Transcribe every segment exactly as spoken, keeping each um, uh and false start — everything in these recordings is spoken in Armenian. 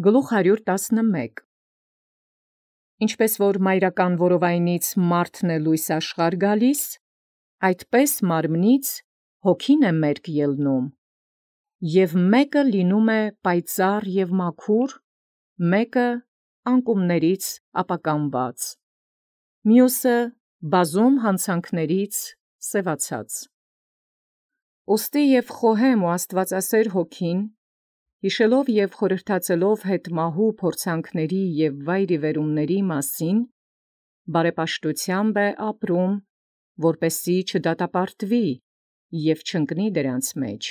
Գլուխ հարյուր տասնմեկ. Ինչպես որ մայրական որովայնից մարդն է լույս աշխարհ գալիս, այդպես մարմնից հոգին է մերկ ելնում, և մեկը լինում է պայծառ և մաքուր, մեկը անկումներից ապականված, մյուսը բազում հանցանքներից սևացած։ Ուստի և խոհեմ ու աստուածասեր հոգին, յիշելով և խորհրդածելով հետմահու փորձանքների և վայրիվերումների մասին, բարեպաշտութեամբ է ապրում, որպեսզի չդատապարտվի և չընկնի դրանց մեջ։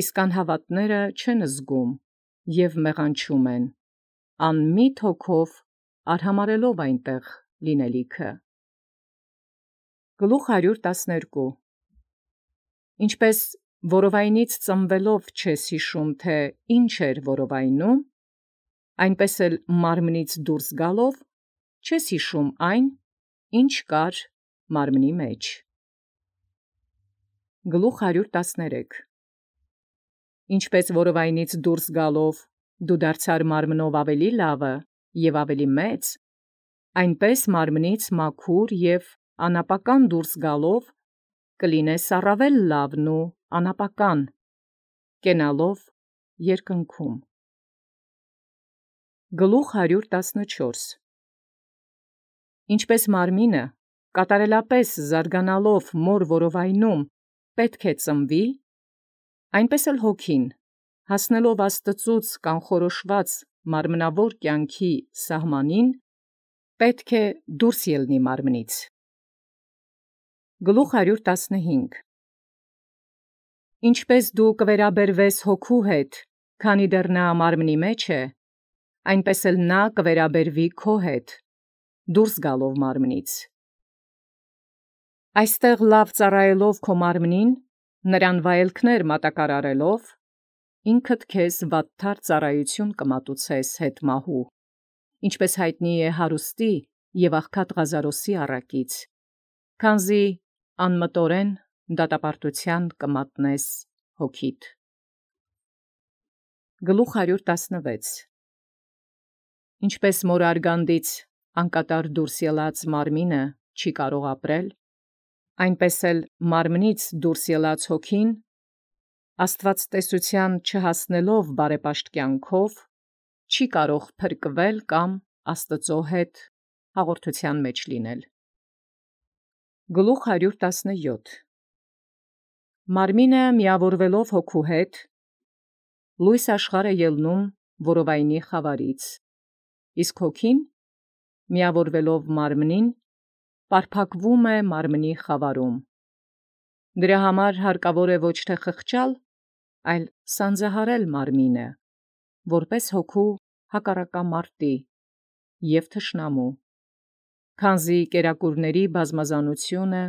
Իսկ անհավատները չեն զգում և մեղանչում են, անմիտ հոգով արհամարհելով այնտեղ լինելիքը։ Գլուխ հարյուր տասներկու. Ինչպես որովայնից ծնվելով չես յիշում, թե ինչ էր որովայնում, այնպես էլ մարմնից դուրս գալով չես յիշում այն, ինչ կար մարմնի մեջ։ Գլուխ հարյուր տասներեք. Ինչպես որովայնից դուրս գալով դու դարձար մարմնով ավելի լավը և ավելի մեծ, այնպես մարմնից մաքուր և անապական դուրս գալով կլինես առավել լավն ու անապական, կենալով երկնքում։ Գլուխ հարյուր տասնչորս. Ինչպես մարմինը կատարելապես զարգանալով մոր որովայնում պետք է ծնվի, այնպես էլ հոգին, հասնելով Աստծուց կանխորոշված մարմնավոր կյանքի սահմանին, պետք է դուրս ելնի մարմնից։ Գլուխ հարյուր տասնհինգ. Ինչպես դու կվերաբերվես հոգու հետ, քանի դեռ նա մարմնի մեջ է, այնպես էլ նա կվերաբերվի քո հետ, դուրս գալով մարմնից։ Այստեղ լավ ծառայելով քո մարմնին, նրան վայելքներ մատակարարելով, ինքդ քեզ վատթար ծառայություն կմատուցես հետմահու, ինչպես հայտնի է հարուստի և աղքատ Ղազարոսի առակից, քանզի անմտորեն դատապարտութեան կմատնես հոգիդ։ Գլուխ հարյուր տասնվեց. Ինչպես մոր արգանդից անկատար դուրս ելած մարմինը չի կարող ապրել, այնպես էլ մարմնից դուրս ելած հոգին, աստուածտեսութեան չհասնելով բարեպաշտ կյանքով, չի կարող փրկվել կամ Աստուծո հետ հաղորդութեան մեջ լինել։ Գլուխ հարյուր տասնյոթ. Մարմինը միավորվելով հոգու հետ, լույս աշխարհ է ելնում որովայնի խավարից, իսկ հոգին, միավորվելով մարմնին, պարփակվում է մարմնի խավարում։ Դրա համար հարկավոր է ոչ թե խղճալ, այլ սանձահարել մարմինը, որպես հոգու հակառակամարտի և թշնամու, քանզի կերակուրների բազմազանությունը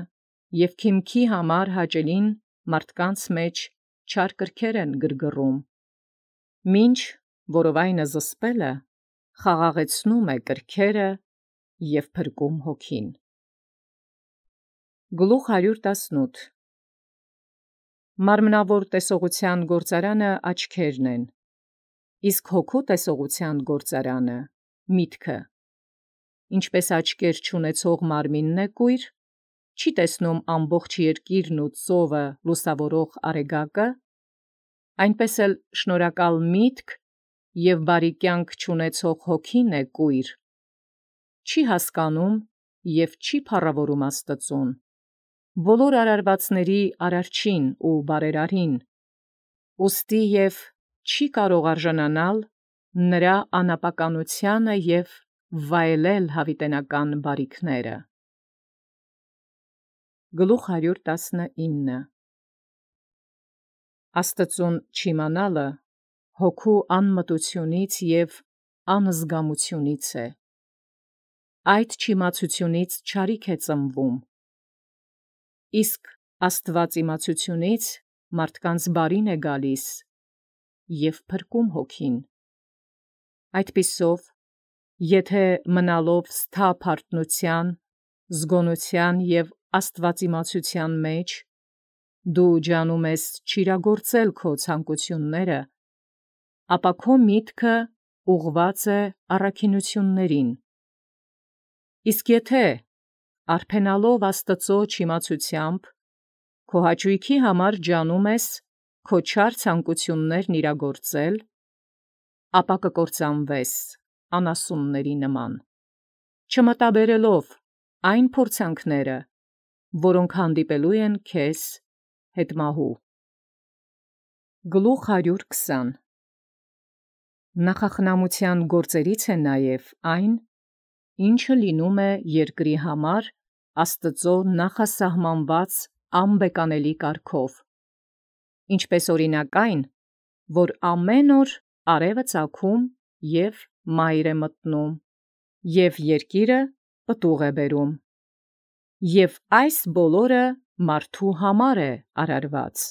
և քիմքի համար հաճելին մարդկանց մեջ չար կրքեր են գրգռում, մինչ որովայնը զսպելը խաղաղեցնում է կրքերը և փրկում հոգին։ Գլուխ հարյուր տասնութ. Մարմնավոր տեսողութեան գործարանը աչքերն են, իսկ հոգու տեսողութեան գործարանը միտքը։ Ինչպես աչքեր չունեցող մարմինն է կույր, չի տեսնում ամբողջ երկիրն ու ծովը լուսավորող արեգակը, այնպես էլ շնորհակալ միտք և բարի կյանք չունեցող հոգին է կույր, չի հասկանում և չի փառաւորում Աստուծուն, բոլոր արարվածների արարչին ու բարերարին, ուստի և չի կարող արժանանալ նրա անապականութեանը և վայելել յաւիտենական բարիքները։ Գլուխ հարյուր տասնինը. Աստուծուն չիմանալը հոգու անմտութիւնից և անզգամութիւնից է. այդ չիմացութիւնից չարիք է ծնվում, իսկ աստուածիմացութիւնից մարդկանց բարին է գալիս և փրկում հոգին։ Այդպիսով, եթէ մնալով սթափ հարթնութեան, զգոնութեան և աստուածիմացութեան մեջ, դու ջանում ես չիրագործել քո ցանկութիւնները, ապա քո միտքը ուղղված է առաքինություններին։ Իսկ եթե արփենալով Աստծո չիմացությամբ քո հաճույքի համար ջանում ես քո չար ցանկություններն իրագործել, ապա կկործանվես անասունների նման, չմտաբերելով այն փորձանքները, որոնք հանդիպելու են քեզ հետմահու։ Գլուխ հարյուր քսան Նախախնամության գործերից է նաև այն, ինչը լինում է երկրի համար Աստծո նախասահմանված անբեկանելի կարգով, ինչպես օրինակ այն, որ ամեն օր արևը ծագում և մայր է մտնում, և երկիրը պտուղ է բերում, և այս բոլորը մարդու համար է արարված։